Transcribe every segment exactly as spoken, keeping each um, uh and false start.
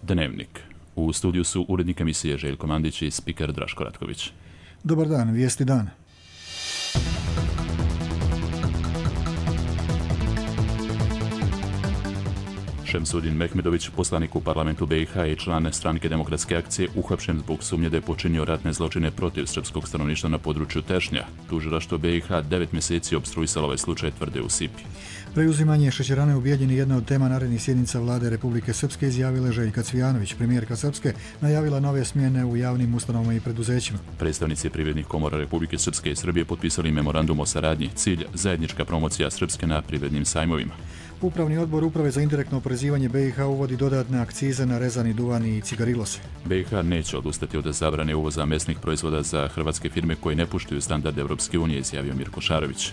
Dnevnik. U studiju su urednik emisije Željko Mandić i spiker Draško Ratković. Dobar dan, vijesti dana. Šemsudin Mehmedović, poslanik u parlamentu B i H i član Stranke demokratske akcije, uhapšen zbog sumnje da je počinio ratne zločine protiv srpskog stanovništva na području Tešnja. Tužilaštvo B i H devet mjeseci opstruisalo ovaj slučaj, tvrde u Sipi. Preuzimanje šećerane u Bijeljini jedna od tema narednih sjednica vlade Republike Srpske, izjavila Željka Cvijanović. Premijerka Srpske najavila nove smjene u javnim ustanovama i preduzećima. Predstavnici privrednih komora Republike Srpske i Srbije potpisali memorandum o saradnji. Cilj zajednička promocija Srpske na privrednim sajmovima. Upravni odbor Uprave za indirektno oporezivanje B i H uvodi dodatne akcize na rezani duvan i cigarilose. B i H neće odustati od zabrane uvoza mesnih proizvoda za hrvatske firme koje ne poštuju standarde Europske unije, izjavio Mirko Šarović.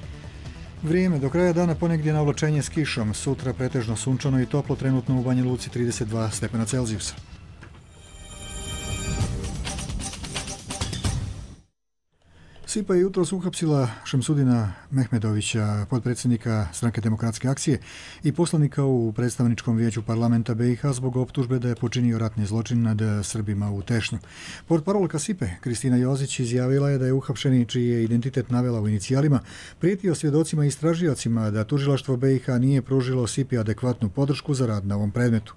Vrijeme do kraja dana ponegdje na oblačenje s kišom, sutra pretežno sunčano i toplo, trenutno u Banja Luci trideset dva stepena Celzijusa. Sipa je jutros uhapsila Šemsudina Mehmedovića, potpredsjednika Stranke demokratske akcije i poslanika u predstavničkom vijeću parlamenta B i H zbog optužbe da je počinio ratni zločin nad Srbima u Tešnju. Portparolka Sipe, Kristina Jozić, izjavila je da je uhapšeni, čiji je identitet navela u inicijalima, prijetio svjedocima i istražiocima da tužilaštvo B i H nije pružilo Sipi adekvatnu podršku za rad na ovom predmetu.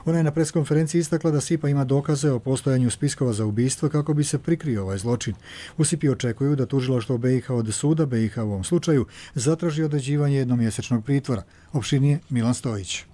Ona je na preskonferenciji istakla da Sipa ima dokaze o postojanju spiskova za ubistvo kako bi se prikrio ovaj zločin. U Sipi očekuju da tužilaštvo B i H od suda B i H u ovom slučaju zatraži određivanje jednomjesečnog pritvora. Opširnije Milan Stojić.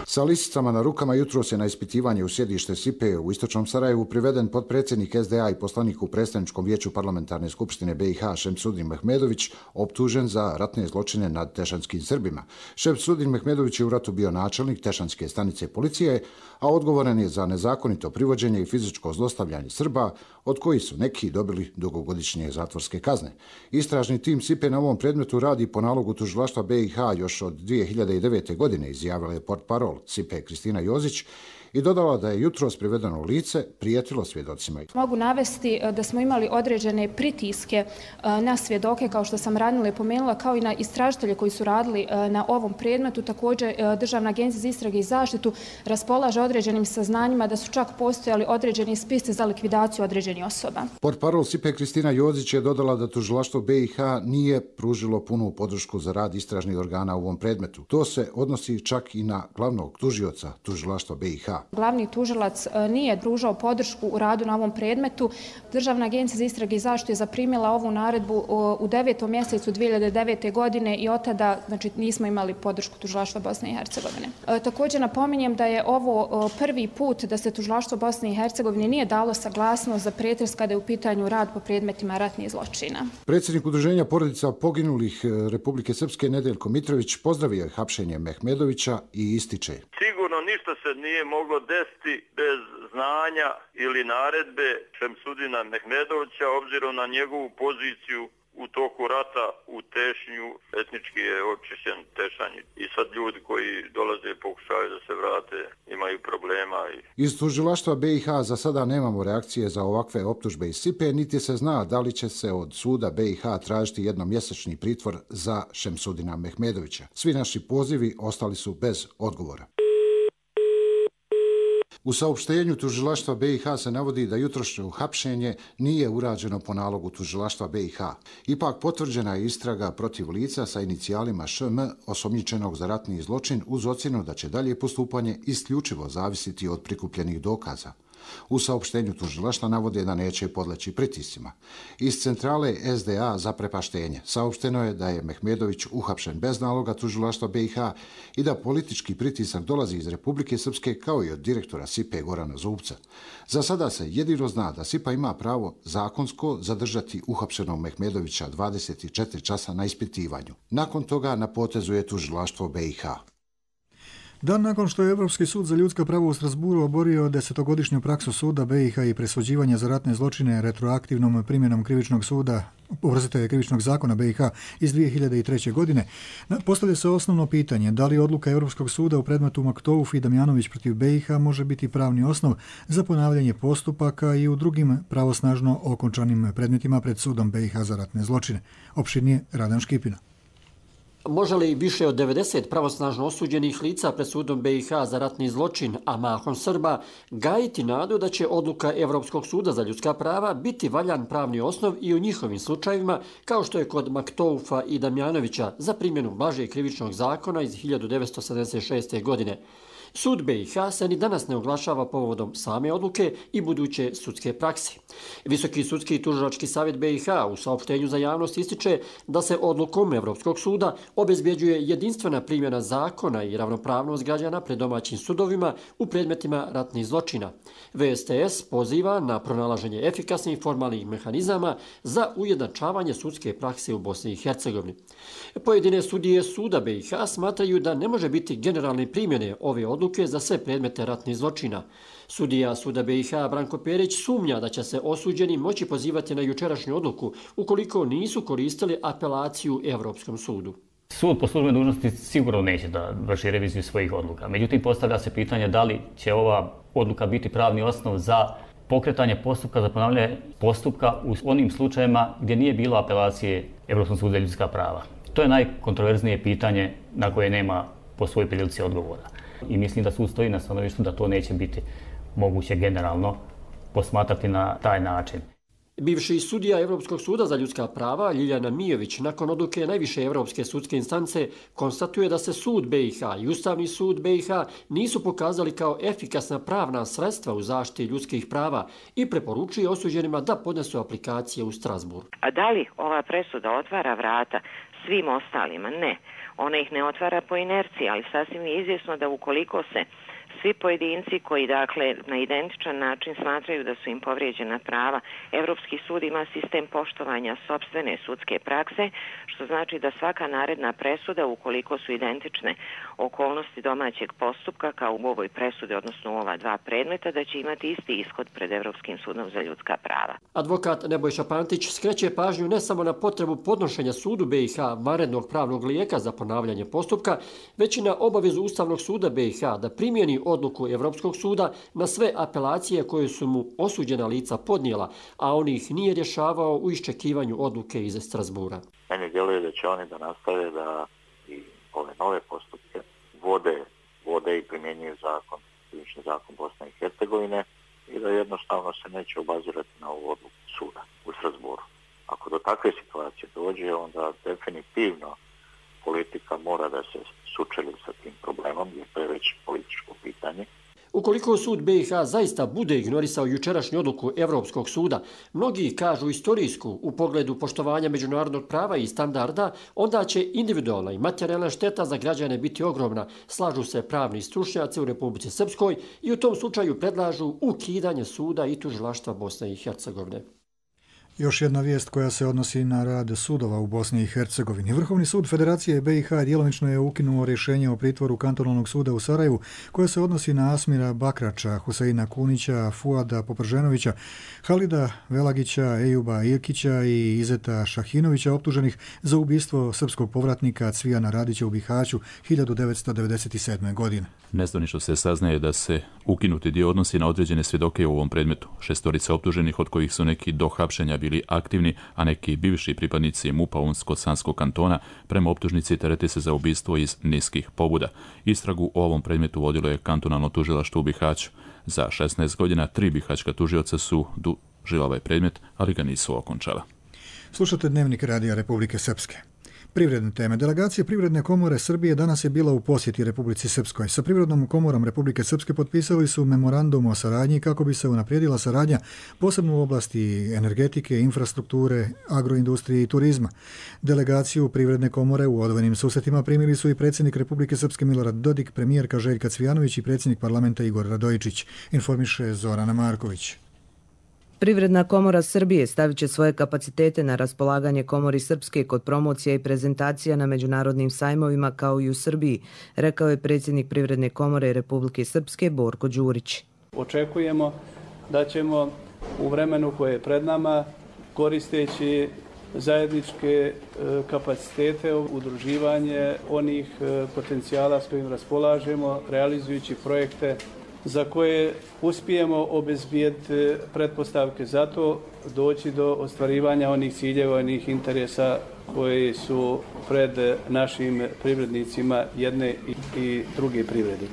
Sa lisicama na rukama jutros je na ispitivanje u sjedište Sipe u istočnom Sarajevu priveden potpredsjednik S D A i poslanik u predstavničkom vijeću parlamentarne skupštine B i H Šemsudin Mehmedović, optužen za ratne zločine nad tešanskim Srbima. Šemsudin Mehmedović je u ratu bio načelnik Tešanske stanice policije, a odgovoran je za nezakonito privođenje i fizičko zlostavljanje Srba, od kojih su neki dobili dugogodišnje zatvorske kazne. Istražni tim Sipe na ovom predmetu radi po nalogu tužilaštva B i H još od dvije hiljade devete. godine, izjavila je portparol Sipe Kristina Jozić i dodala da je jutros privedeno lice prijetilo svjedocima. Mogu navesti da smo imali određene pritiske na svjedoke, kao što sam ranije pomenula, kao i na istražitelje koji su radili na ovom predmetu. Također, Državna agencija za istrage i zaštitu raspolaže određenim saznanjima da su čak postojali određeni spisci za likvidaciju određenih osoba. Portparol Sipe Kristina Jozić je dodala da tužilaštvo B i H nije pružilo punu podršku za rad istražnih organa u ovom predmetu. To se odnosi čak i na glavnog tužioca tužilaštva B i H. Glavni tužilac nije pružao podršku u radu na ovom predmetu. Državna agencija za istrage i zaštitu je zaprimila ovu naredbu u devetom mjesecu dvije hiljade devete. godine i od tada, znači, nismo imali podršku tužilaštva Bosne i Hercegovine. Također napominjem da je ovo prvi put da se tužilaštvo Bosne i Hercegovine nije dalo saglasnost za pretres kada je u pitanju rad po predmetima ratnih zločina. Predsjednik Udruženja porodica poginulih Republike Srpske Nedeljko Mitrović pozdravio je hapšenje Mehmedovića i ističe: Sigurno ništa se nije moglo desiti bez znanja ili naredbe Šemsudina Mehmedovića, obzirom na njegovu poziciju u toku rata u Tešnju. Etnički je očišćen Tešanj i sad ljudi koji dolaze i pokušaju da se vrate imaju problema. Iz tužilaštva B i H za sada nemamo reakcije za ovakve optužbe iz Sipe, niti se zna da li će se od suda B i H tražiti jednomjesečni pritvor za Šemsudina Mehmedovića. Svi naši pozivi ostali su bez odgovora. U saopštenju tužilaštva B i H se navodi da jutrošnje uhapšenje nije urađeno po nalogu tužilaštva B i H. Ipak potvrđena je istraga protiv lica sa inicijalima Š M osumnjičenog za ratni zločin uz ocjenu da će dalje postupanje isključivo zavisiti od prikupljenih dokaza. U saopštenju tužilaštva navode da neće podleći pritiscima. Iz centrale S D A za prepaštenje saopšteno je da je Mehmedović uhapšen bez naloga tužilaštva B i H i da politički pritisak dolazi iz Republike Srpske kao i od direktora Sipe Gorana Zubca. Za sada se jedino zna da Sipa ima pravo zakonsko zadržati uhapšenog Mehmedovića dvadeset četiri časa na ispitivanju. Nakon toga na potezu je tužilaštvo B i H. Dan nakon što je Europski sud za ljudska prava u Strasburu oborio desetogodišnju praksu suda B i H i presuđivanja za ratne zločine retroaktivnom primjenom krivičnog suda, oprostite, krivičnog zakona B i H iz dvije hiljade treće. godine, postavlja se osnovno pitanje da li odluka Europskog suda u predmetu Maktouf i Damjanović protiv B i H može biti pravni osnov za ponavljanje postupaka i u drugim pravosnažno okončanim predmetima pred sudom B i H za ratne zločine. Opširnije Radan Škipina. Može li više od devedeset pravosnažno osuđenih lica pred sudom B i H za ratni zločin, a mahom Srba, gajiti nadu da će odluka Evropskog suda za ljudska prava biti valjan pravni osnov i u njihovim slučajevima, kao što je kod Maktoufa i Damjanovića za primjenu blažeg krivičnog zakona iz hiljadu devetsto sedamdeset šeste. godine. Sud B i H se ni danas ne oglašava povodom same odluke i buduće sudske prakse. Visoki sudski i tužilački savjet B i H u saopštenju za javnost ističe da se odlukom Evropskog suda obezbjeđuje jedinstvena primjena zakona i ravnopravnost građana pred domaćim sudovima u predmetima ratnih zločina. V S T S poziva na pronalaženje efikasnih formalnih mehanizama za ujednačavanje sudske prakse u Bosni i Hercegovini. Pojedine sudije suda B i H smatraju da ne može biti generalne primjene ove odluke za sve predmete ratnih zločina. Sudija suda B i H Branko Perić sumnja da će se osuđeni moći pozivati na jučerašnju odluku ukoliko nisu koristili apelaciju Evropskom sudu. Sud po službenoj dužnosti sigurno neće da vrši reviziju svojih odluka. Međutim, postavlja se pitanje da li će ova odluka biti pravni osnov za pokretanje postupka za ponavljanje postupka u onim slučajevima gdje nije bilo apelacije Evropskom sudu za ljudska prava. To je najkontroverznije pitanje na koje nema po svojoj prilici odgovora. I mislim da sud stoji na stanovištu da to neće biti moguće generalno posmatrati na taj način. Bivši sudija Evropskog suda za ljudska prava Ljiljana Mijović nakon odluke najviše evropske sudske instance konstatuje da se sud B i H i Ustavni sud B i H nisu pokazali kao efikasna pravna sredstva u zaštiti ljudskih prava i preporučuje osuđenima da podnesu aplikacije u Strasbourg. A da li ova presuda otvara vrata svim ostalima? Ne. Ona ih ne otvara po inerciji, ali sasvim je izvjesno da ukoliko se svi pojedinci koji dakle na identičan način smatraju da su im povrijeđena prava, Evropski sud ima sistem poštovanja sopstvene sudske prakse, što znači da svaka naredna presuda, ukoliko su identične okolnosti domaćeg postupka kao u ovoj presudi, odnosno u ova dva predmeta, da će imati isti ishod pred Evropskim sudom za ljudska prava. Advokat Nebojša Pantić skreće pažnju ne samo na potrebu podnošenja sudu B i H vanrednog pravnog lijeka za ponavljanje postupka, već i na obavezu Ustavnog suda B i H da primjeni odluku Evropskog suda na sve apelacije koje su mu osuđena lica podnijela, a on ih nije rješavao u iščekivanju odluke iz Strasbura. Meni djeluje da će oni da nastave da i ove nove postupke vode, vode i primjenjuju zakon, krivični zakon Bosne i Hercegovine i da jednostavno se neće obazirati na ovu odluku suda u Strasburu. Ako do takve situacije dođe, onda definitivno politika mora da se sučeli sa tim problemom, jer to je već političko pitanje. Ukoliko sud B i H zaista bude ignorisao jučerašnju odluku Evropskog suda, mnogi kažu istorijsku u pogledu poštovanja međunarodnog prava i standarda, onda će individualna i materijalna šteta za građane biti ogromna, slažu se pravni stručnjaci u Republici Srpskoj i u tom slučaju predlažu ukidanje suda i tužilaštva Bosne i Hercegovine. Još jedna vijest koja se odnosi na rad sudova u Bosni i Hercegovini. Vrhovni sud Federacije B i H djelomično je ukinuo rješenje o pritvoru kantonalnog suda u Sarajevu koje se odnosi na Asmira Bakrača, Huseina Kunića, Fuada Poprženovića, Halida Velagića, Ejuba Irkića i Izeta Šahinovića optuženih za ubistvo srpskog povratnika Cvijana Radića u Bihaću hiljadu devetsto devedeset sedme. godine. Nezvanično se saznaje da se ukinuti dio odnosi na određene svjedoke u ovom predmetu. Šestorica optuženih, od kojih su neki do hapšenja bili aktivni, a neki bivši pripadnici MUP-a Unsko-Sanskog kantona, prema optužnici terete se za ubistvo iz niskih pobuda. Istragu o ovom predmetu vodilo je kantonalno tužilaštvo u Bihaću. Za šesnaest godina tri bihaćka tužioca su dužila ovaj predmet, ali ga nisu okončala. Slušate Dnevnik Radija Republike Srpske. Privredne teme. Delegacija Privredne komore Srbije danas je bila u posjeti Republici Srpskoj. Sa Privrednom komorom Republike Srpske potpisali su memorandum o saradnji kako bi se unaprijedila saradnja posebno u oblasti energetike, infrastrukture, agroindustrije i turizma. Delegaciju Privredne komore u odvojenim susretima primili su i predsjednik Republike Srpske Milorad Dodik, premijerka Željka Cvijanović i predsjednik parlamenta Igor Radojičić, informiše Zorana Marković. Privredna komora Srbije stavit će svoje kapacitete na raspolaganje Komori Srpske kod promocija i prezentacija na međunarodnim sajmovima kao i u Srbiji, rekao je predsjednik Privredne komore Republike Srpske Borko Đurić. Očekujemo da ćemo u vremenu koje je pred nama, koristeći zajedničke kapacitete, udruživanje onih potencijala s kojim raspolažemo, realizujući projekte za koje uspijemo obezbijeti pretpostavke za to, doći do ostvarivanja onih ciljeva, onih interesa koji su pred našim privrednicima jedne i druge privrede.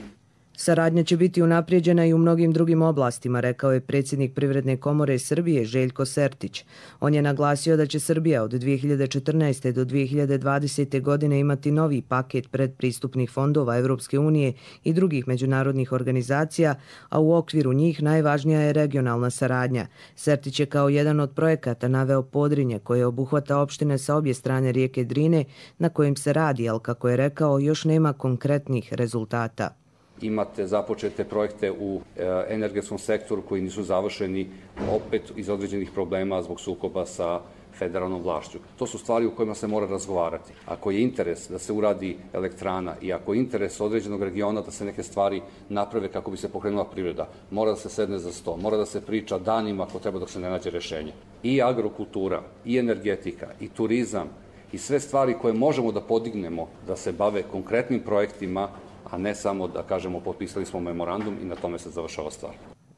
Saradnja će biti unaprijeđena i u mnogim drugim oblastima, rekao je predsjednik Privredne komore Srbije Željko Sertić. On je naglasio da će Srbija od dvije hiljade četrnaeste. do dvije hiljade dvadesete. godine imati novi paket predpristupnih fondova Evropske unije i drugih međunarodnih organizacija, a u okviru njih najvažnija je regionalna saradnja. Sertić je kao jedan od projekata naveo Podrinje, koje obuhvata opštine sa obje strane rijeke Drine, na kojim se radi, ali kako je rekao, još nema konkretnih rezultata. Imate započete projekte u energetskom sektoru koji nisu završeni opet iz određenih problema zbog sukoba sa federalnom vlašću. To su stvari u kojima se mora razgovarati. Ako je interes da se uradi elektrana i ako je interes određenog regiona da se neke stvari naprave kako bi se pokrenula privreda, mora da se sedne za sto, mora da se priča danima ako treba dok se ne nađe rešenje. I agrokultura, i energetika, i turizam, i sve stvari koje možemo da podignemo da se bave konkretnim projektima, a ne samo da kažemo potpisali smo memorandum i na tome se završava stvar.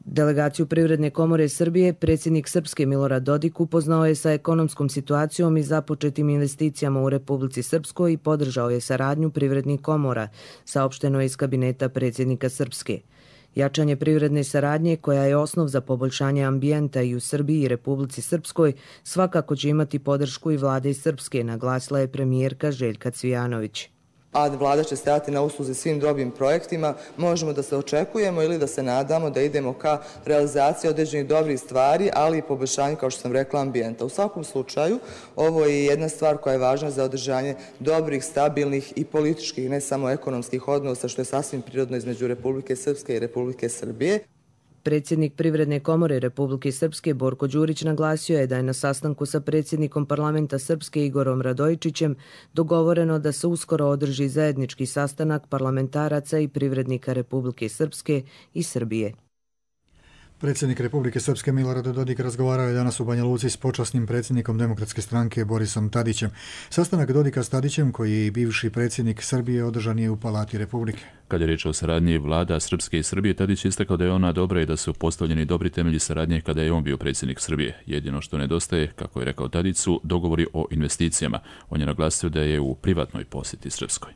Delegaciju Privredne komore Srbije predsjednik Srpske Milorad Dodik upoznao je sa ekonomskom situacijom i započetim investicijama u Republici Srpskoj i podržao je saradnju privrednih komora, saopšteno je iz kabineta predsjednika Srpske. Jačanje privredne saradnje, koja je osnov za poboljšanje ambijenta i u Srbiji i Republici Srpskoj, svakako će imati podršku i vlade Srpske, naglasila je premijerka Željka Cvijanović. A vlada će stajati na usluzi svim dobrim projektima, možemo da se očekujemo ili da se nadamo da idemo ka realizaciji određenih dobrih stvari, ali i poboljšanju, kao što sam rekla, ambijenta. U svakom slučaju, ovo je jedna stvar koja je važna za održanje dobrih, stabilnih i političkih, ne samo ekonomskih odnosa, što je sasvim prirodno između Republike Srpske i Republike Srbije. Predsjednik Privredne komore Republike Srpske Borko Đurić naglasio je da je na sastanku sa predsjednikom parlamenta Srpske Igorom Radojičićem dogovoreno da se uskoro održi zajednički sastanak parlamentaraca i privrednika Republike Srpske i Srbije. Predsjednik Republike Srpske Milorad Dodik razgovarao je danas u Banja Luci s počasnim predsjednikom Demokratske stranke Borisom Tadićem. Sastanak Dodika s Tadićem, koji je i bivši predsjednik Srbije, održan je u Palati Republike. Kad je riječ o saradnji vlada Srpske i Srbije, Tadić je istakao da je ona dobra i da su postavljeni dobri temelji saradnje kada je on bio predsjednik Srbije. Jedino što nedostaje, kako je rekao Tadić, su dogovori o investicijama. On je naglasio da je u privatnoj posjeti Srpskoj.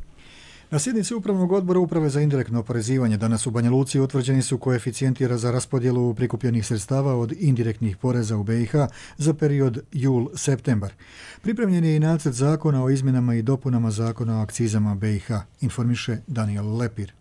Na sjednici Upravnog odbora Uprave za indirektno oporezivanje danas u Banja Luci utvrđeni su koeficijenti za raspodjelu prikupljenih sredstava od indirektnih poreza u B i H za period jul-septembar. Pripremljen je i nacrt zakona o izmjenama i dopunama zakona o akcizama B i H, informiše Daniel Lepir.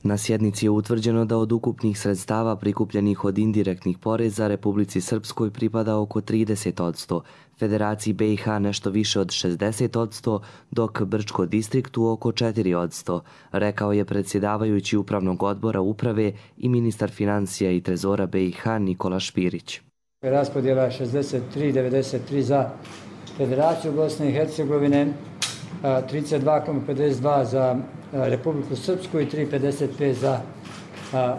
Na sjednici je utvrđeno da od ukupnih sredstava prikupljenih od indirektnih poreza Republici Srpskoj pripada oko trideset posto, Federaciji B i H nešto više od šezdeset posto, dok Brčko distriktu oko četiri posto, rekao je predsjedavajući Upravnog odbora Uprave i ministar financija i trezora B i H Nikola Špirić. Raspodjela je šezdeset tri devedeset tri za Federaciju Bosne i Hercegovine, trideset dva zarez pedeset dva za Republiku Srpsku i tri zarez pedeset pet za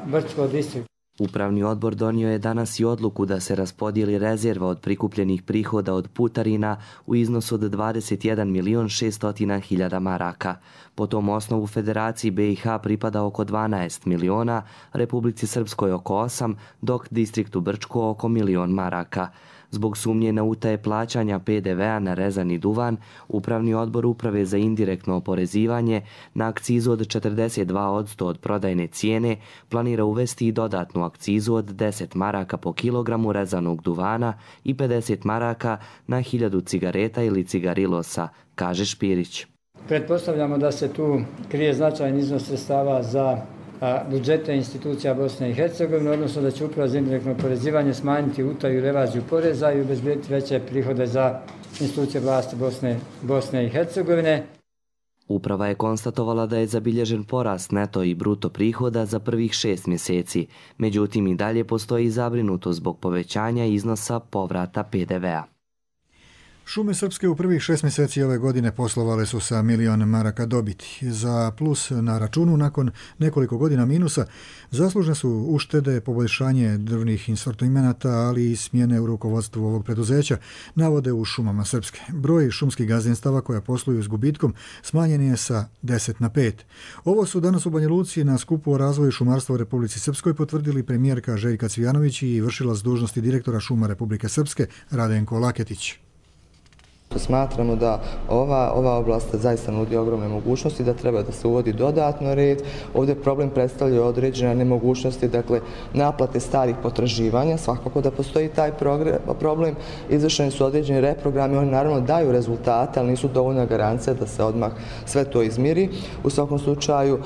Brčko distrikt. Upravni odbor donio je danas i odluku da se raspodijeli rezerva od prikupljenih prihoda od putarina u iznosu od dvadeset jedan milion šeststo hiljada maraka. Po tom osnovu Federaciji B i H pripada oko dvanaest miliona, Republici Srpskoj oko osam, dok distriktu Brčko oko milion maraka. Zbog sumnje na utaje plaćanja P D V-a na rezani duvan, Upravni odbor Uprave za indirektno oporezivanje na akcizu od četrdeset dva posto od prodajne cijene planira uvesti i dodatnu akcizu od deset maraka po kilogramu rezanog duvana i pedeset maraka na hiljadu cigareta ili cigarilosa, kaže Špirić. Pretpostavljamo da se tu krije značajan iznos sredstava za budžete institucija Bosne i Hercegovine, odnosno da će Uprava za indirektno oporezivanje smanjiti utaju i evaziju poreza i obezbediti veće prihode za institucije vlasti Bosne, Bosne i Hercegovine. Uprava je konstatovala da je zabilježen porast neto i bruto prihoda za prvih šest mjeseci, međutim i dalje postoji zabrinutost zbog povećanja iznosa povrata P D V-a. Šume Srpske u prvih šest mjeseci ove godine poslovale su sa milion maraka dobiti. Za plus na računu nakon nekoliko godina minusa zaslužne su uštede, poboljšanje drvnih insortimenata, ali i smjene u rukovodstvu ovog preduzeća, navode u Šumama Srpske. Broj šumskih gazdinstava koja posluju s gubitkom smanjen je sa deset na pet. Ovo su danas u Banja Luci na skupu o razvoju šumarstva u Republici Srpskoj potvrdili premijerka Željka Cvijanović i vršilac dužnosti direktora Šuma Republike Srpske Radenko Laketić. Smatramo da ova, ova oblast zaista nudi ogromne mogućnosti, da treba da se uvodi dodatno red. Ovdje problem predstavljaju određene nemogućnosti, dakle naplate starih potraživanja, svakako da postoji taj problem. Izvršeni su određeni reprogrami, oni naravno daju rezultate, ali nisu dovoljna garancija da se odmah sve to izmiri. U svakom slučaju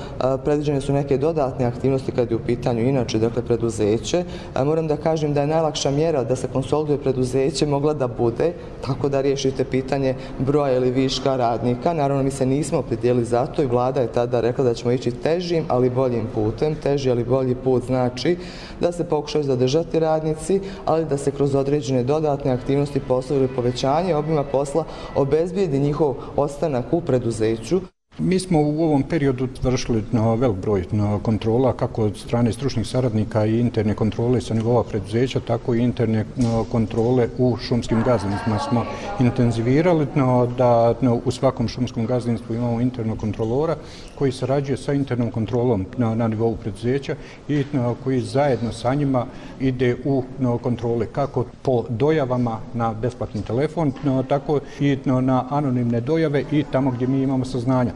predviđene su neke dodatne aktivnosti kad je u pitanju inače, dakle preduzeće. Moram da kažem da je najlakša mjera da se konsoliduje preduzeće mogla da bude tako da riješite pitanje broja ili viška radnika. Naravno, mi se nismo opredijelili za to i vlada je tada rekla da ćemo ići težim, ali boljim putem. Teži, ali bolji put znači da se pokušaju zadržati radnici, ali da se kroz određene dodatne aktivnosti posla ili povećanje obima posla obezbijedi njihov ostanak u preduzeću. Mi smo u ovom periodu vršili velik broj kontrola, kako od strane stručnih saradnika i interne kontrole sa nivoa preduzeća, tako i interne kontrole u šumskim gazdinstvima smo intenzivirali, da u svakom šumskom gazdinstvu imamo internog kontrolora koji sarađuje sa internom kontrolom na nivou preduzeća i koji zajedno sa njima ide u kontrole kako po dojavama na besplatni telefon, tako i na anonimne dojave i tamo gdje mi imamo saznanja.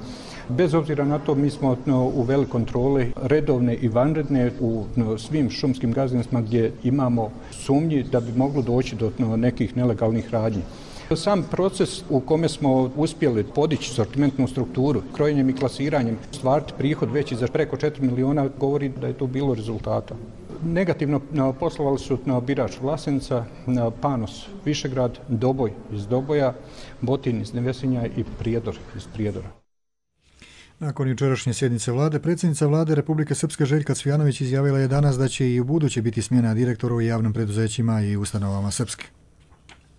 Bez obzira na to, mi smo uveli kontrole redovne i vanredne u svim šumskim gazdinstvima gdje imamo sumnji da bi moglo doći do nekih nelegalnih radnji. Sam proces u kome smo uspjeli podići sortimentnu strukturu, krojenjem i klasiranjem, stvariti prihod veći za preko četiri miliona, govori da je to bilo rezultata. Negativno poslovali su Birač Vlasenica, Panos Višegrad, Doboj iz Doboja, Botin iz Nevesinja i Prijedor iz Prijedora. Nakon jučerašnje sjednice vlade, predsjednica vlade Republike Srpske Željka Cvijanović izjavila je danas da će i u buduće biti smjena direktora u javnim preduzećima i ustanovama Srpske.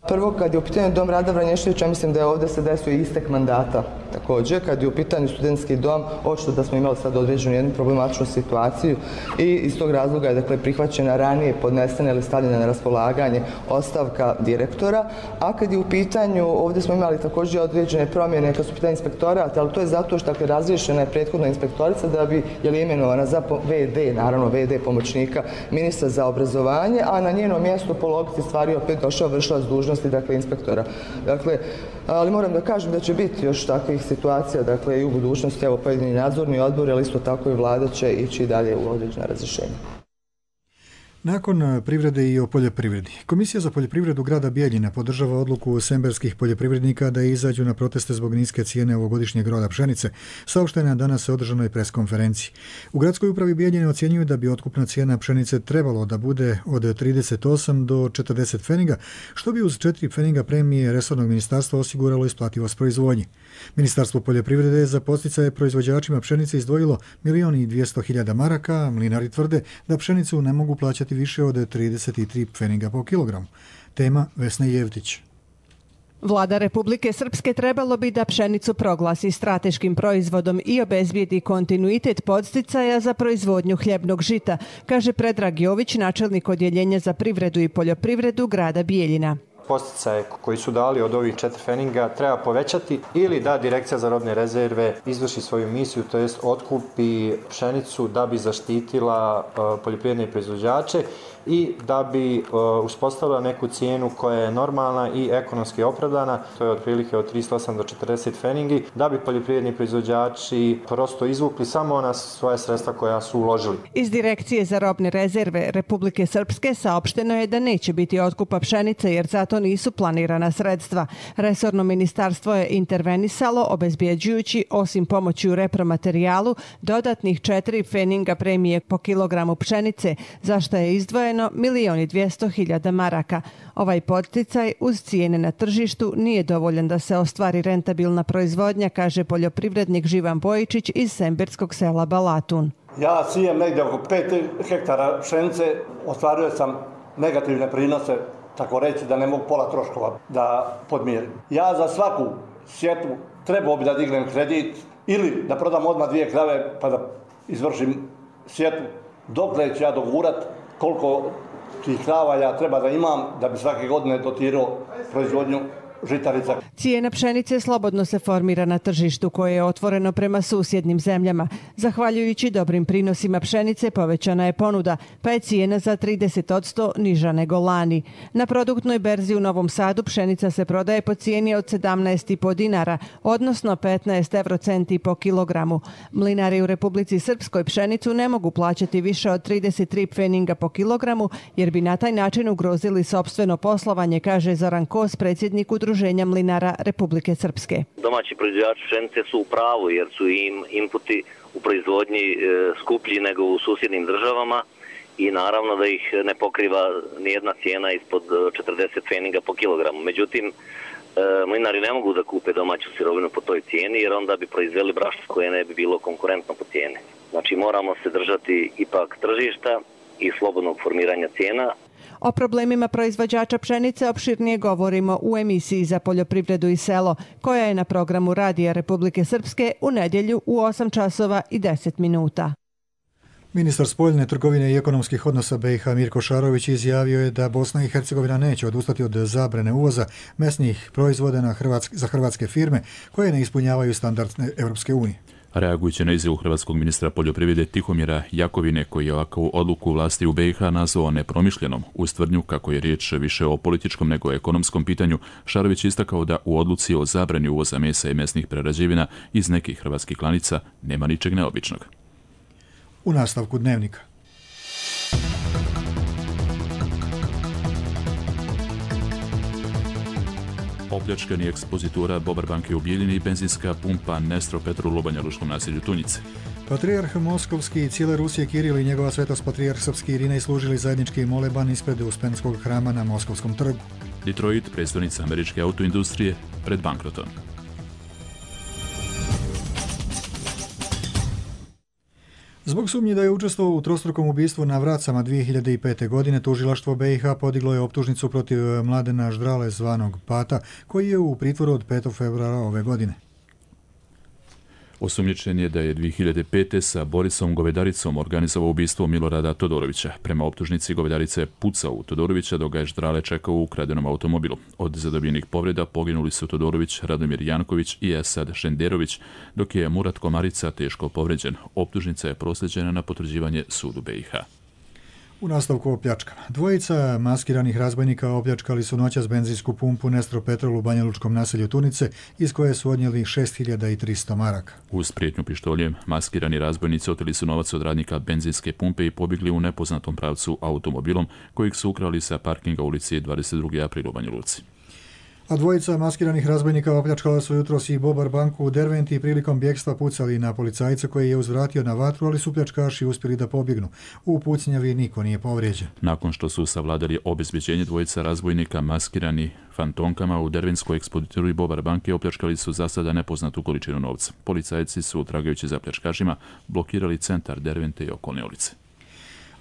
Prvo, kad je u pitanju dom Rada Vranješevića, mislim da je ovdje se desio istek mandata. Također, kad je u pitanju studentski dom, očito da smo imali sad određenu jednu problematičnu situaciju i iz tog razloga je dakle, prihvaćena ranije podnesena ili stavljena na raspolaganje ostavka direktora. A kad je u pitanju, ovdje smo imali također određene promjene kad su u pitanju inspektorata, ali to je zato što dakle, razriješena je prethodna inspektorica da bi je imenovana za ve de, naravno ve de pomoćnika ministra za obrazovanje, a na njeno mjesto po logici stvari opet došao vršilac dužnosti, dakle inspektora. Dakle, ali moram da kažem da će biti još takvih situacija, dakle i u budućnosti, evo pojedini nadzorni odbor, ali isto tako i vlada će ići dalje u određena razrješenja. Nakon privrede i o poljoprivredi. Komisija za poljoprivredu grada Bijeljina podržava odluku semberskih poljoprivrednika da izađu na proteste zbog niske cijene ovogodišnjeg roda pšenice, saopštena danas održanoj preskonferenciji. U gradskoj upravi Bijeljine ocjenjuju da bi otkupna cijena pšenice trebalo da bude od trideset osam do četrdeset pfeniga, što bi uz četiri pfeniga premije resornog ministarstva osiguralo isplativost proizvodnje. Ministarstvo poljoprivrede je za podsticaje proizvođačima pšenice izdvojilo milion i dvjesto hiljada maraka, mlinari tvrde da pšenicu ne mogu plaćati više od trideset tri pfeniga po kilogramu. Tema Vesna Jevtić. Vlada Republike Srpske trebalo bi da pšenicu proglasi strateškim proizvodom i obezbijedi kontinuitet podsticaja za proizvodnju hljebnog žita, kaže Predrag Jović, načelnik odjeljenja za privredu i poljoprivredu grada Bijeljina. Posticaje koji su dali od ovih četiri pfeninga treba povećati ili da Direkcija za robne rezerve izvrši svoju misiju, to jest otkupi pšenicu da bi zaštitila poljoprivredne proizvođače i da bi uspostavila neku cijenu koja je normalna i ekonomski opravdana, to je otprilike od trideset osam do četrdeset pfeningi, da bi poljoprivredni proizvođači prosto izvukli samo ona svoja sredstva koja su uložili. Iz Direkcije za robne rezerve Republike Srpske saopšteno je da neće biti otkupa pšenice jer zato to nisu planirana sredstva. Resorno ministarstvo je intervenisalo obezbjeđujući, osim pomoći u repromaterijalu, dodatnih četiri pfeninga premije po kilogramu pšenice, za što je izdvojeno milijon i dvjesto hiljada maraka. Ovaj podsticaj uz cijene na tržištu nije dovoljan da se ostvari rentabilna proizvodnja, kaže poljoprivrednik Živan Bojičić iz sembirskog sela Balatun. Ja sijem negdje oko pet hektara pšenice, ostvario sam negativne prinose, tako reći da ne mogu pola troškova da podmirim. Ja za svaku sjetvu trebao bi da dignem kredit ili da prodam odmah dvije krave pa da izvršim sjetvu. Dokle ću ja dogurat koliko tih krava ja treba da imam da bi svake godine dotirao proizvodnju žitarica. Cijena pšenice slobodno se formira na tržištu koje je otvoreno prema susjednim zemljama. Zahvaljujući dobrim prinosima pšenice povećana je ponuda, pa je cijena za trideset posto niža nego lani. Na produktnoj berzi u Novom Sadu pšenica se prodaje po cijeni od sedamnaest i po dinara, odnosno petnaest eurocenti po kilogramu. Mlinari u Republici Srpskoj pšenicu ne mogu plaćati više od trideset tri pfeninga po kilogramu, jer bi na taj način ugrozili sopstveno poslovanje, kaže Zoran Kos, predsjednik Udruženja mlinara Republike Srpske. Domaći proizvođači pšenice su u pravu jer su im inputi u proizvodnji e, skuplji nego u susjednim državama i naravno da ih ne pokriva nijedna cijena ispod četrdeset pfeninga po kilogramu. Međutim, e, mlinari ne mogu da kupe domaću sirovinu po toj cijeni jer onda bi proizveli brašno koje ne bi bilo konkurentno po cijeni. Znači moramo se držati ipak tržišta i slobodnog formiranja cijena. O problemima proizvođača pšenice opširnije govorimo u emisiji za poljoprivredu i selo, koja je na programu Radija Republike Srpske u nedjelju u osam časova i deset minuta. Ministar spoljne trgovine i ekonomskih odnosa B i H Mirko Šarović izjavio je da Bosna i Hercegovina neće odustati od zabrane uvoza mesnih proizvoda na hrvatske, za hrvatske firme koje ne ispunjavaju standardne Europske unije. Reagujući na izjavu hrvatskog ministra poljoprivrede Tihomira Jakovine, koji je ovakvu odluku vlasti u B i H nazvao nepromišljenom, uz tvrdnju kako je riječ više o političkom nego ekonomskom pitanju, Šarović istakao da u odluci o zabrani uvoza mesa i mesnih prerađevina iz nekih hrvatskih klanica nema ničeg neobičnog. U nastavku dnevnika. Opljačkani ekspozitura Bobar banke u Bijeljini i benzinska pumpa Nestro Petrol u Banja Lučkom naselju Tunjice. Patrijarh Moskovski i cijele Rusije Kiril i njegova svetost patrijarh Srpski Irinej služili zajednički moleban ispred Uspenskog hrama na Moskovskom trgu. Detroit, predstavnica američke autoindustrije, pred bankrotom. Zbog sumnje da je učestvovao u trostrukom ubistvu na Vracama dvije hiljade pete. godine, tužilaštvo B i H podiglo je optužnicu protiv Mladena Ždrale zvanog Pata, koji je u pritvoru od petog februara ove godine. Osumnjičen je da je dvije hiljade pete. sa Borisom Govedaricom organizovao ubistvo Milorada Todorovića. Prema optužnici, Govedarica je pucao u Todorovića dok ga je Ždrale čekao u ukradenom automobilu. Od zadobijenih povreda poginuli su Todorović, Radomir Janković i Esad Šenderović, dok je Murat Komarica teško povređen. Optužnica je proslijeđena na potvrđivanje sudu B i H. U nastavku o pljačkama. Dvojica maskiranih razbojnika opljačkali su noćas benzinsku pumpu Nestro Petrol u Banja Lučkom naselju Tunice, iz koje su odnijeli šest hiljada tristo maraka. Uz prijetnju pištoljem, maskirani razbojnici oteli su novac od radnika benzinske pumpe i pobjegli u nepoznatom pravcu automobilom, kojeg su ukrali sa parkinga ulici dvadeset drugi april u Banja Luci. A dvojica maskiranih razbojnika opljačkala su jutros i Bobar banku u Derventi i prilikom bjegstva pucali na policajca koji je uzvratio na vatru, ali su pljačkaši uspjeli da pobjegnu. U pucnjavi niko nije povrijeđen. Nakon što su savladali obezbeđenje, dvojica razbojnika maskirani fantomkama u dervenskoj ekspozituri Bobar banke opljačkali su za sada nepoznatu količinu novca. Policajci su, tragajući za pljačkašima, blokirali centar Dervente i okolne ulice.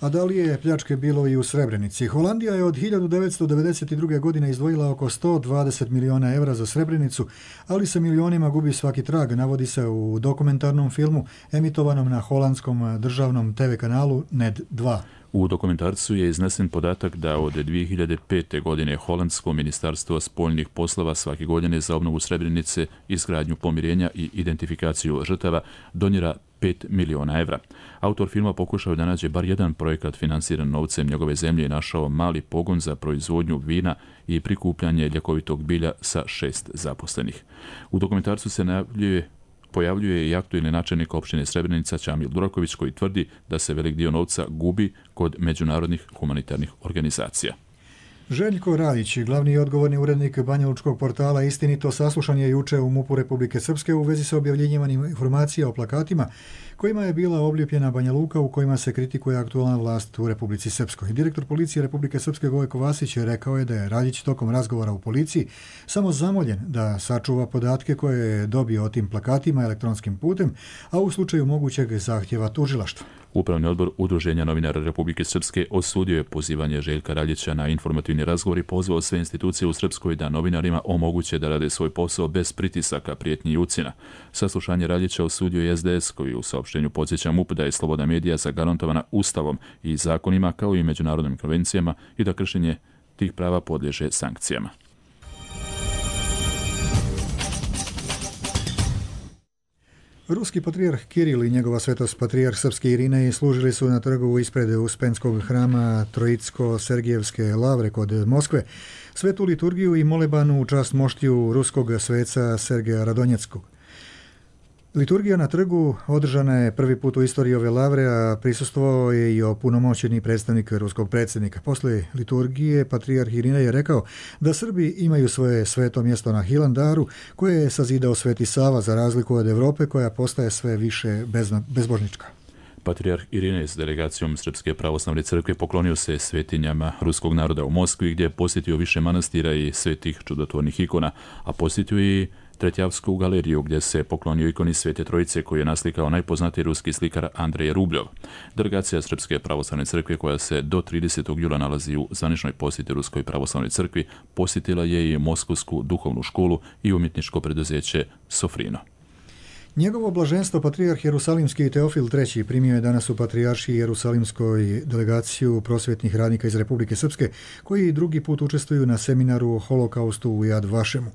A da li je pljačke bilo i u Srebrenici? Holandija je od hiljadu devetsto devedeset druge. godine izdvojila oko sto dvadeset miliona evra za Srebrenicu, ali sa milionima gubi svaki trag, navodi se u dokumentarnom filmu emitovanom na holandskom državnom te ve kanalu N E D dva. U dokumentarcu je iznesen podatak da od dvije hiljade pete. godine Holandsko ministarstvo spoljnih poslova svake godine za obnovu Srebrenice, izgradnju pomirenja i identifikaciju žrtava donira pet miliona evra. Autor filma pokušao da nađe bar jedan projekat finansiran novcem njegove zemlje i našao mali pogon za proizvodnju vina i prikupljanje ljekovitog bilja sa šest zaposlenih. U dokumentarcu se najavljuje pojavljuje i aktuelni načelnik opštine Srebrenica Čamil Duraković, koji tvrdi da se velik dio novca gubi kod međunarodnih humanitarnih organizacija. Željko Radić, glavni i odgovorni urednik banjalučkog portala Istinito, saslušan je juče u MUP-u Republike Srpske u vezi sa objavljenjem informacija o plakatima kojima je bila oblijepljena Banja Luka u kojima se kritikuje aktualna vlast u Republici Srpskoj. Direktor policije Republike Srpske Gojko Vasić rekao je da je Radić tokom razgovora u policiji samo zamoljen da sačuva podatke koje je dobio o tim plakatima elektronskim putem, a u slučaju mogućeg zahtjeva tužilaštva. Upravni odbor Udruženja novinara Republike Srpske osudio je pozivanje Željka Radića na informativni razgovor i pozvao sve institucije u Srpskoj da novinarima omoguće da rade svoj posao bez pritisaka, prijetnji i ucjena. Saslušanje Radića osudio je S D S koji u saopštenju podsjeća MUP da je sloboda medija zagarantovana Ustavom i zakonima kao i međunarodnim konvencijama i da kršenje tih prava podliježe sankcijama. Ruski patrijarh Kiril i njegova svetost patrijarh srpske Irinej služili su na trgu ispred Uspenskog hrama Trojitsko-Sergijevske lavre kod Moskve svetu liturgiju i molebanu u čast moštiju ruskog sveca Sergeja Radonjeckog. Liturgija na trgu održana je prvi put u istoriji ove lavre, a prisustvovao je i opunomoćeni predstavnik ruskog predsjednika. Posle liturgije patrijarh Irinej je rekao da Srbi imaju svoje sveto mjesto na Hilandaru koje je sazidao Sveti Sava za razliku od Evrope koja postaje sve više bezbožnička. Patrijarh Irinej s delegacijom Srpske pravoslavne crkve poklonio se svetinjama ruskog naroda u Moskvi gdje je posjetio više manastira i svetih čudotvornih ikona, a posjetio i Tretjavsku galeriju gdje se poklonio ikoni Svete Trojice koju je naslikao najpoznatiji ruski slikar Andrej Rubljov. Delegacija Srpske pravoslavne crkve koja se do tridesetog jula nalazi u zvaničnoj posjeti Ruskoj pravoslavnoj crkvi posjetila je i Moskovsku duhovnu školu i umjetničko preduzeće Sofrino. Njegovo blaženstvo patrijarh Jerusalimski Teofil treći primio je danas u patrijaršiji Jerusalimskoj delegaciju prosvjetnih radnika iz Republike Srpske koji drugi put učestvuju na seminaru o holokaustu u Jad Vašemu.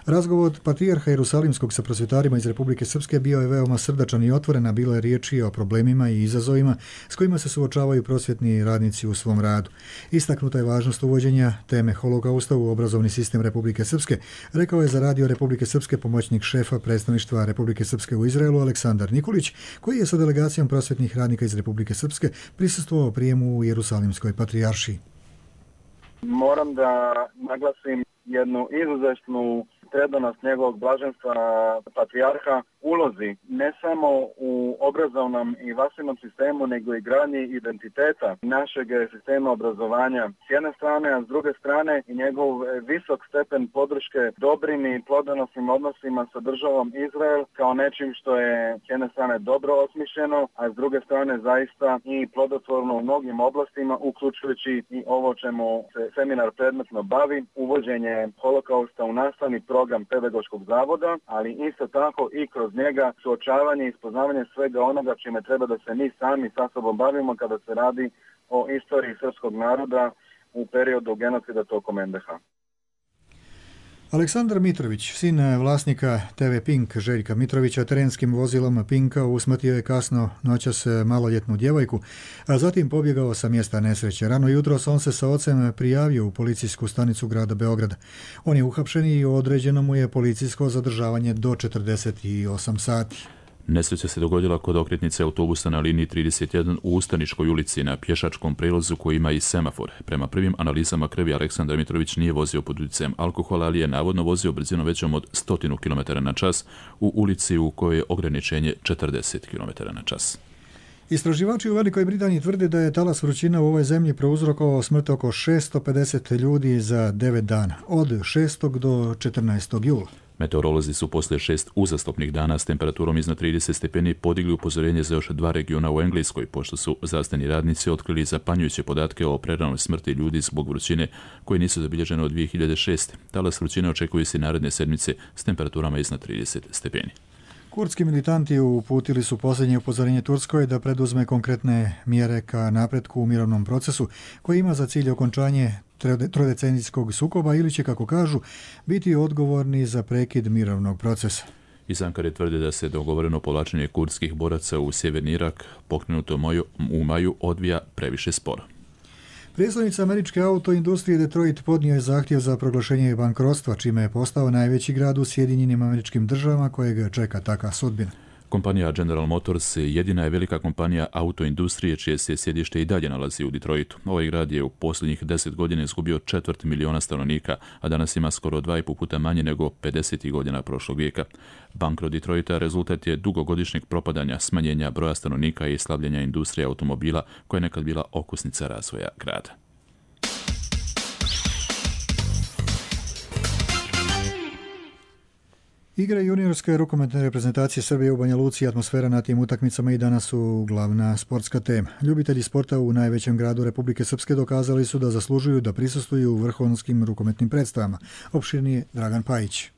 Razgovor patrijarha Jerusalimskog sa prosvjetarima iz Republike Srpske bio je veoma srdačan i otvoren, a bilo je riječi o problemima i izazovima s kojima se suočavaju prosvjetni radnici u svom radu. Istaknuta je važnost uvođenja teme holokausta u obrazovni sistem Republike Srpske, rekao je za radio Republike Srpske pomoćnik šefa predstavništva Republike Srpske u Izraelu Aleksandar Nikolić, koji je sa delegacijom prosvjetnih radnika iz Republike Srpske prisustvovao prijemu u Jerusalimskoj patrijaršiji. Moram da naglasim jednu izuzetnu predanost njegovog blaženstva patrijarha ulozi ne samo u obrazovnom i vasilnom sistemu, nego i gradnji identiteta našeg sistema obrazovanja s jedne strane, a s druge strane i njegov visok stepen podrške dobrim i plodonosnim odnosima sa državom Izrael kao nečim što je s jedne strane dobro osmišljeno, a s druge strane zaista i plodotvorno u mnogim oblastima, uključujući i ovo čemu se seminar predmetno bavi, uvođenje holokausta u nastavni program pedagoškog zavoda, ali isto tako i kroz njega suočavanje i ispoznavanje svega onoga čime treba da se mi sami sa sobom bavimo kada se radi o istoriji srpskog naroda u periodu genocida tokom en de ha. Aleksandar Mitrović, sin vlasnika te ve Pink Željka Mitrovića, terenskim vozilom Pinka usmrtio je kasno noćas maloljetnu djevojku, a zatim pobjegao sa mjesta nesreće. Rano jutros on se sa ocem prijavio u policijsku stanicu grada Beograda. On je uhapšen i određeno mu je policijsko zadržavanje do četrdeset osam sati. Nesreća se dogodila kod okretnice autobusa na liniji trideset jedan u Ustaničkoj ulici na pješačkom prelazu koji ima i semafor. Prema prvim analizama krvi Aleksandar Mitrović nije vozio pod utjecajem alkohola, ali je navodno vozio brzinom većom od sto kilometara na čas u ulici u kojoj je ograničenje četrdeset kilometara na čas. Istraživači u Velikoj Britaniji tvrde da je talas vrućina u ovoj zemlji prouzrokovao smrt oko šesto pedeset ljudi za devet dana, od šestog do četrnaestog jula. Meteorolozi su poslije šest uzastopnih dana s temperaturom iznad trideset stepeni podigli upozorenje za još dva regiona u Engleskoj, pošto su zdravstveni radnici otkrili zapanjujuće podatke o preranoj smrti ljudi zbog vrućine koje nisu zabilježene od dvije hiljade šeste. Talas vrućine očekuje se naredne sedmice s temperaturama iznad trideset stepeni. Kurdski militanti uputili su posljednje upozorenje Turskoj da preduzme konkretne mjere ka napretku u mirovnom procesu koji ima za cilj okončanje trodecenijskog sukoba ili će, kako kažu, biti odgovorni za prekid mirovnog procesa. Iz Ankare tvrde da se dogovoreno povlačenje kurdskih boraca u sjeverni Irak pokrenuto u maju odvija previše sporo. Prijestolnica američke autoindustrije Detroit podnio je zahtjev za proglašenje bankrotstva, čime je postao najveći grad u Sjedinjenim Američkim Državama kojeg čeka taka sudbina. Kompanija General Motors jedina je velika kompanija autoindustrije čije se sjedište i dalje nalazi u Detroitu. Ovaj grad je u posljednjih deset godina izgubio četvrt miliona stanovnika, a danas ima skoro dva i po puta manje nego pedesetih godina prošlog vijeka. Bankrot Detroita rezultat je dugogodišnjeg propadanja, smanjenja broja stanovnika i slabljenja industrije automobila koja je nekad bila okosnica razvoja grada. Igre juniorske rukometne reprezentacije Srbije u Banja Luci i atmosfera na tim utakmicama i danas su glavna sportska tema. Ljubitelji sporta u najvećem gradu Republike Srpske dokazali su da zaslužuju da prisustvuju u vrhunskim rukometnim predstavama. Opširnije Dragan Pajić.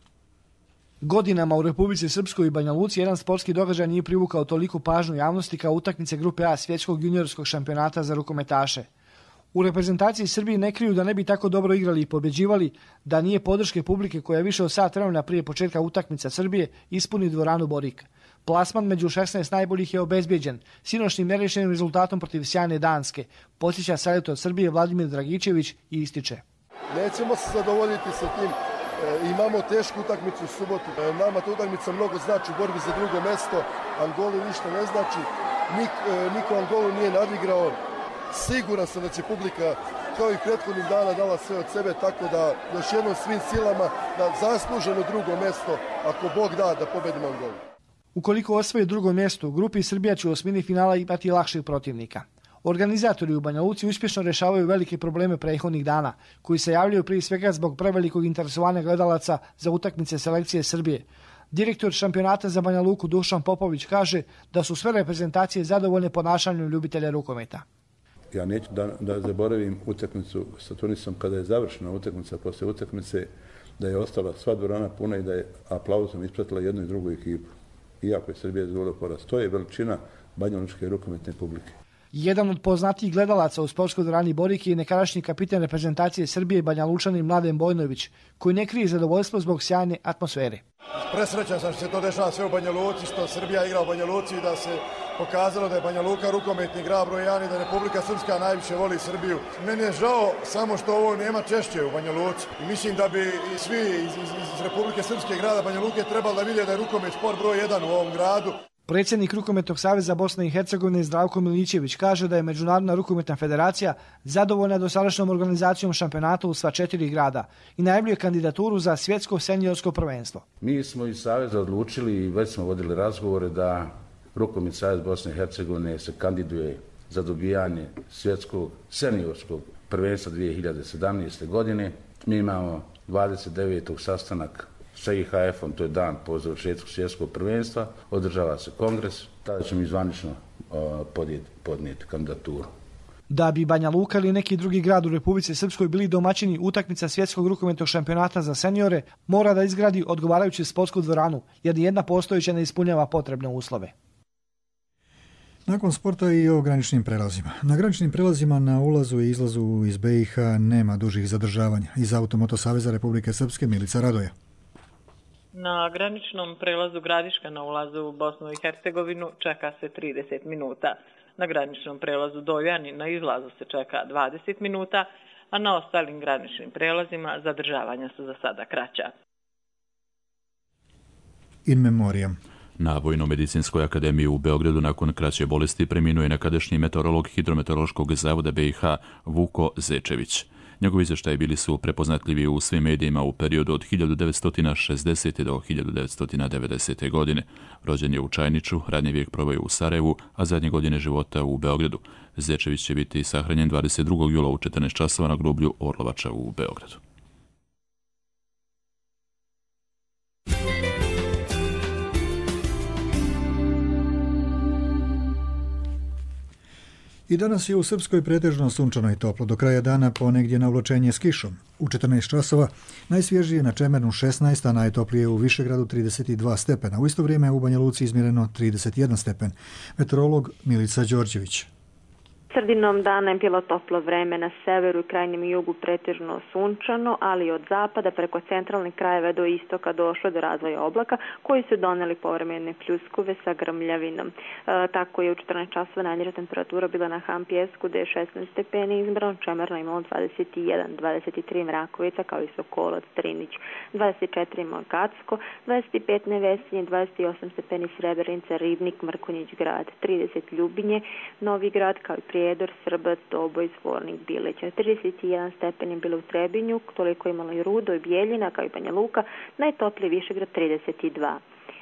Godinama u Republici Srpskoj i Banja Luci jedan sportski događaj nije privukao toliku pažnju javnosti kao utakmice grupe A svjetskog juniorskog šampionata za rukometaše. U reprezentaciji Srbije ne kriju da ne bi tako dobro igrali i pobjeđivali da nije podrške publike koja je više od sat vremena prije početka utakmica Srbije ispuni dvoranu Borik. Plasman među šesnaest najboljih je obezbijeđen sinoćnim nerešenim rezultatom protiv sjajne Danske, podsjeća selektor od Srbije Vladimir Dragičević i ističe. Nećemo se zadovoljiti sa tim. E, imamo tešku utakmicu u subotu. E, nama ta utakmica mnogo znači u borbi za drugo mesto. Angoli ništa ne znači. Nik, e, niko Angolu nije nadigrao. Siguran sam da će publika kao i prethodnih dana dala sve od sebe, tako da još jednom svim silama na zasluženo drugo mjesto, ako Bog da, da pobedimo Angolu. Ukoliko osvoji drugo mjesto, u grupi Srbija će u osmini finala imati lakših protivnika. Organizatori u Banja Luci uspješno rešavaju velike probleme prethodnih dana, koji se javljaju prije svega zbog prevelikog interesovanja gledalaca za utakmice selekcije Srbije. Direktor šampionata za Banja Luku Dušan Popović kaže da su sve reprezentacije zadovoljne ponašanjem ljubitelja rukometa. Ja neću da, da zaboravim utakmicu sa Tunisom kada je završena utakmica, posle utakmice da je ostala sva dvorana puna i da je aplauzom ispratila jednu i drugu ekipu. Iako je Srbija izgubila poraz. To je veličina banjalučke rukometne publike. Jedan od poznatijih gledalaca u sportskoj dvorani Borik je nekadašnji kapitan reprezentacije Srbije Banja Lučanin Mladen Bojnović, koji ne krije zadovoljstvo zbog sjajne atmosfere. Presrećan sam što se to dešava sve u Banja Luci, što Srbija igra u Banja Luci i da se pokazalo da je Banja Luka rukometni grad broj jedan i da Republika Srpska najviše voli Srbiju. Meni je žao samo što ovo nema češće u Banja Luci. I mislim da bi i svi iz, iz, iz Republike Srpske grada Banja Luke trebali da vide da je rukomet sport broj jedan u ovom gradu. Predsjednik Rukometnog saveza Bosne i Hercegovine Zdravko Milićević kaže da je Međunarodna rukometna federacija zadovoljna dosadašnjom organizacijom šampionata u sva četiri grada i najavljuje kandidaturu za svjetsko seniorsko prvenstvo. Mi smo iz saveza odlučili i već smo vodili razgovore da Rukometni savez Bosne i Hercegovine se kandiduje za dobijanje svjetskog seniorskog prvenstva dvije hiljade sedamnaeste. godine. Mi imamo dvadeset devetog sastanak sa I H F-om, to je dan po završetku svjetskog prvenstva, održava se kongres, tada ćemo izvanično podnijeti, podnijeti kandidaturu. Da bi Banja Luka ili neki drugi grad u Republici Srpskoj bili domaćini utakmica svjetskog rukometnog šampionata za seniore, mora da izgradi odgovarajuću sportsku dvoranu, jer nijedna postojeća ne ispunjava potrebne uslove. Nakon sporta i o graničnim prelazima. Na graničnim prelazima na ulazu i izlazu iz B i H nema dužih zadržavanja. Iz Automoto saveza Republike Srpske Milica Radoja. Na graničnom prelazu Gradiška na ulazu u Bosnu i Hercegovinu čeka se trideset minuta. Na graničnom prelazu Doljani na izlazu se čeka dvadeset minuta, a na ostalim graničnim prelazima zadržavanja su za sada kraća. In memoriam. Na Vojno-medicinskoj akademiji u Beogradu nakon kraće bolesti preminuo je nekadašnji meteorolog Hidrometeorološkog zavoda B i H Vuko Zečević. Njegovi izvještaji bili su prepoznatljivi u svim medijima u periodu od hiljadu devetsto šezdesete. do hiljadu devetsto devedesete. godine. Rođen je u Čajniču, radni vijek proveo u Sarajevu, a zadnje godine života u Beogradu. Zečević će biti sahranjen dvadeset drugog jula u četrnaest časova na groblju Orlovača u Beogradu. I danas je u Srpskoj pretežno sunčano i toplo. Do kraja dana ponegdje navlačenje s kišom. U četrnaest časova najsvježije na Čemernu šesnaest, a najtoplije u Višegradu trideset dva stepena. U isto vrijeme u Banja Luci izmjereno trideset jedan stepen. Meteorolog Milica Đorđević. Sredinom dana je bilo toplo vreme na severu i krajnjem jugu pretežno sunčano, ali od zapada preko centralnih krajeva do istoka došlo do razvoja oblaka koji su doneli povremene pljuskove sa grmljavinom. E, tako je u četrnaest časova najniža temperatura bila na Hampjesku gde je šesnaest stepeni izmjereno, Čemerno imalo dvadeset jedan, dvadeset tri Mrakovica kao i Sokolac, Trinić, dvadeset četiri Magacko, dvadeset pet Nevesinje, dvadeset osam stepeni Srebrenica, Ribnik, Mrkonjić grad, trideset Ljubinje, Novi grad kao i Prijedor, Srbac, Doboj, Zvornik, Bileća. trideset jedan stepeni bilo u Trebinju, toliko imalo i Rudo i Bijeljina kao i Banja Luka, najtopliji Višegrad trideset dva.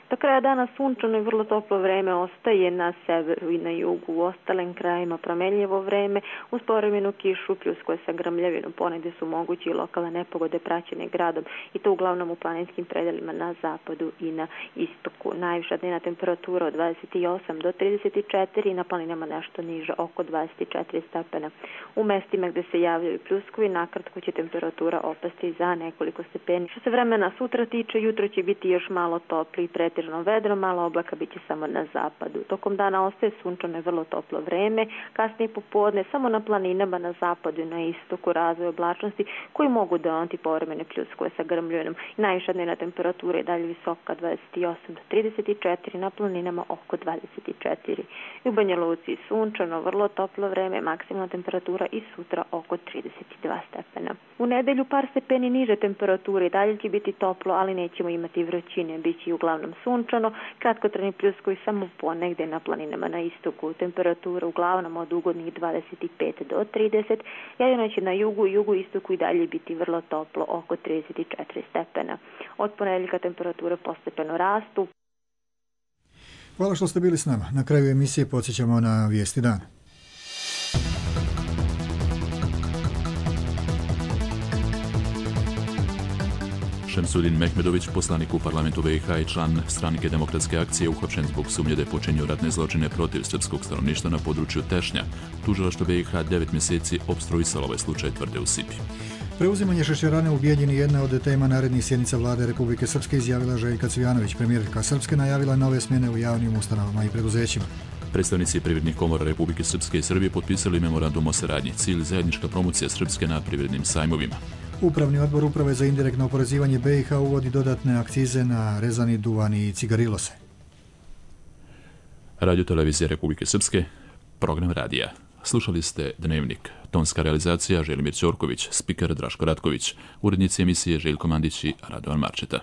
Do kraja dana sunčano i vrlo toplo vreme ostaje na severu i na jugu. U ostalim krajima promenljivo vreme, uz povremenu kišu, pljuskove sa grmljavinom, ponegde su mogući i lokalne nepogode praćene gradom i to uglavnom u planinskim predelima na zapadu i na istoku. Najviša dnevna temperatura od dvadeset osam do trideset četiri, na planinama nešto niža oko dvadeset četiri stepena. U mestima gde se javljaju pljuskovi, nakratko će temperatura opasti za nekoliko stepeni. Što se vremena sutra tiče, jutro će biti još malo topli, pretežno vedro, malo oblaka biće samo na zapadu. Tokom dana ostaje sunčano i vrlo toplo vreme, kasnije popodne samo na planinama na zapadu i na istoku razvoj oblačnosti koji mogu doneti povremene pljuskove sa grmljavinom. Najviša dnevna temperatura je dalje visoka dvadeset osam do trideset četiri, na planinama oko dvadeset četiri. U Banja Luci sunčano, vrlo toplo vreme, maksimalna temperatura i sutra oko trideset dva stepena. U nedelju par stepeni niže temperature, dalje će biti toplo, ali nećemo imati vrućine, biće uglavnom sunčano, kratkotrajni pljuskovi samo ponegde na planinama na istoku. Temperatura uglavnom od ugodnih dvadeset pet do trideset, jedino će na jugu i jugu istoku i dalje biti vrlo toplo, oko trideset četiri stepena. Od ponedeljka temperature postepeno rastu. Hvala što ste bili s nama. Na kraju emisije podsjećamo na vijesti dana. Šemsudin Mehmedović, poslanik u parlamentu B i H i član Stranke demokratske akcije, uhapšen zbog sumnje da je počinio ratne zločine protiv srpskog stanovništva na području Tešnja. Tužilaštvo B i H devet mjeseci opstruisalo ovaj slučaj, tvrde u Sipi. Preuzimanje šećerane u Bijeljini jedna od tema narednih sjednica vlade Republike Srpske, izjavila Željka Cvijanović. Premijerka Srpske najavila nove smjene u javnim ustanovama i preduzećima. Predstavnici privrednih komora Republike Srpske i Srbije potpisali memorandum o saradnji. Cilj zajednička promocija Srpske na privrednim sajmovima. Upravni odbor Uprave za indirektno oporezivanje B i H uvodi dodatne akcize na rezani duvan i cigarilose. Radio televizija Republike Srpske, program radija. Slušali ste Dnevnik. Tonska realizacija Želimir Ćorković, spiker Draško Ratković, urednici emisije Željko Mandić i Radovan Marčeta.